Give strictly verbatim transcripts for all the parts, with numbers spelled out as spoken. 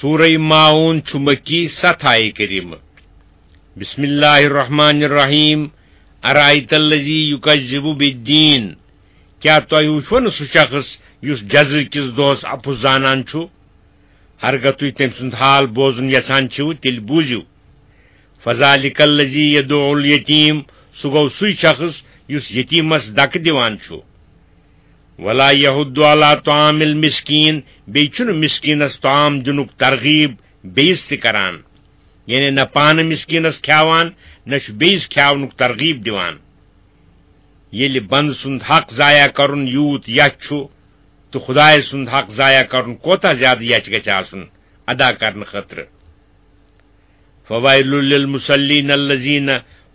سورہ ماعون چھُ مکی، ستھ آیہِ کریمہٕ۔ بسم اللہ الرحمن الرحیم۔ ارائیت الذی یکذب بالدین۔ کیٛاہ تۄہہِ وُچھوٕ نہٕ سُہ شخص یُس جزا کِس دۄہس اپُز زانان چھُ؟ ہرگاہ تُہۍ تٔمۍ سُنٛد حال بوزُن یژھان چھِو، تیٚلہِ بوٗزِو۔ فذلک الذی یدع الیتیم، سُہ گوٚو سُے شخص یُس یتیمس دکہٕ دِوان چھُ۔ ولا یحض علی طعام المسکین، بیٚیہِ چھُنہٕ مسکینس طعام دِنُک ترغیب بیٚیِس تہِ کران، یعنی نہ پانہٕ مسکینس کھیاوان، نہ چھُ بیٚیِس کھیاونُک ترغیب دِوان۔ ییٚلہِ بندٕ سُنٛد حق ضایع کرُن یوٗت یَتھ چھُ، تہٕ خدایہِ سُنٛد حق ضایع کرُن کوتاہ زیادٕ یَتھ گژھِ آسُن ادا کرنہٕ خٲطرٕ۔ فویل للمصلین الذین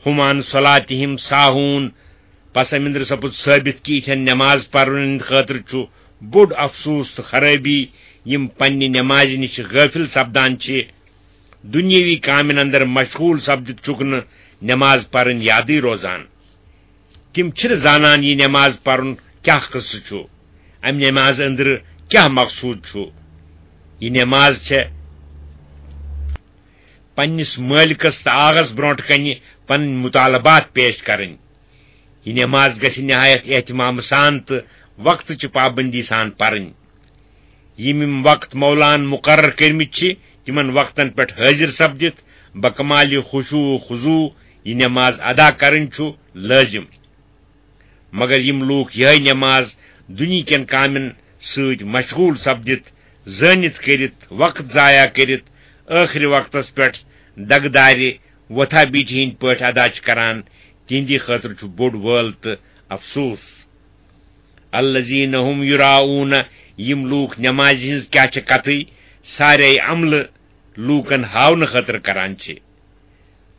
هم عن صلاتهم ساهون۔ پس أمۍ أنٛدرٕ سپُد ثٲبت کہِ یِتھٮ۪ن نماز پرن ہٕنٛدِ خٲطرٕ چھُ بوٚڑ افسوس تہٕ خرٲبی، یِم پننہِ نمازِ نِش غٲفل سپدان چھِ، دُنیٲوی کامٮ۪ن اندر مشغول سپدِتھ چھُکھ نہٕ نماز پرٕنۍ یادٕے روزان۔ تِم چھِنہٕ زانان یہِ نماز پرُن کیٛاہ قصہٕ چھُ، امہِ نمازِ أنٛدرٕ کیٛاہ مقصوٗد چھُ۔ یہِ نماز چھےٚ پننِس مٲلکس تہٕ آغس برونٛٹھ کنہِ پنٕنۍ مطالبات پیش کرٕنۍ۔ یہِ نماز گژھِ نہایت اہتمام سان تہٕ وقتٕچہِ پابندی سان پرٕنۍ۔ یِم یِم وقت مولان مقرر کٔرمٕتۍ چھِ، تِمن وقتن پٮ۪ٹھ حٲضِر سپدِتھ بکمال خشوع و خضوع یہِ نماز ادا کرٕنۍ چھُ لٲزِم۔ مگر یِم لوٗکھ یِہے نماز دُنیہکٮ۪ن کامٮ۪ن سۭتۍ مشغول سپدِتھ، زٲنِتھ کٔرِتھ، وقت ضایع کٔرِتھ، ٲخری وقتس پٮ۪ٹھ دگہٕ دارِ وۄتھا بیٖٹھِ ہٕنٛدۍ پٲٹھۍ ادا چھِ کران، تِہنٛدِ خٲطرٕ چھُ بوٚڑ وٲل تہٕ افسوس۔ الذین هم یراؤون، یِم لوٗکھ نمازِ ہٕنٛز کیٛاہ چھِ کتھٕے، سارے عملہٕ لوٗکن ہاونہٕ خٲطرٕ کران چھِ۔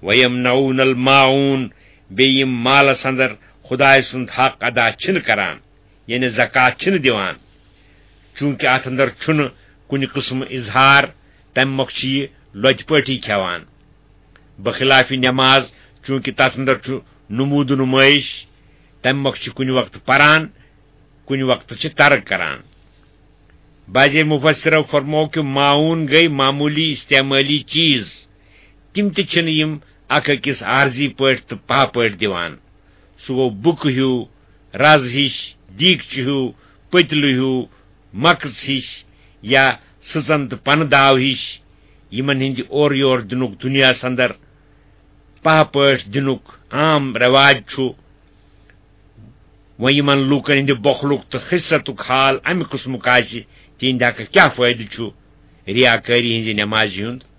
ویمنعون الماعون، بیٚیہِ یِم مالس اندر خدایہِ سُنٛد حق ادا چھِنہٕ کران، یعنی زکوٰۃ چھِنہٕ دِوان، چوٗنٛکہِ اتھ اندر چھُنہٕ کُنہِ قٕسمہٕ اظہار، تمہِ مۄکھٕ چھِ یہِ لۄتہِ پٲٹھی کھٮ۪وان۔ بخلاف نماز، چوٗنٛکہِ تتھ اندر چھُ نموٗد و نمٲیش، تمہِ مۄکھٕ چھِ کُنہِ وقتہٕ پران، کُنہِ وقتہٕ چھِ ترک کران۔ بعضے مفسرو فرموو کہِ معاون گٔے معموٗلی استعمٲلی چیٖز، تِم تہِ چھِنہٕ یِم اکھ أکِس عارضی پٲٹھۍ تہٕ پاہ پٲٹھۍ دِوان۔ سُہ گوٚو بُکہٕ ہیوٗ، رز ہِش، دیٖگچہٕ ہیوٗ، پٔتلہٕ ہیوٗ، مکٕژ ہِش یا سٕژن تہٕ پنہٕ داو ہِش، یِمن ہٕنٛدِ اورٕ یور دِنُک دُنیاہس اندر پاہ پٲٹھۍ دِنُک عام رٮ۪واج چھُ۔ وۄنۍ یِمن لوٗکن ہٕنٛدِ بۄخلُک تہٕ خِستُک حال امہِ قٕسمُک آسہِ، تِہنٛدِ حقہٕ کیٛاہ فٲیدٕ چھُ ریاکٲری ہٕنٛزِ نٮ۪مازِ ہُنٛد؟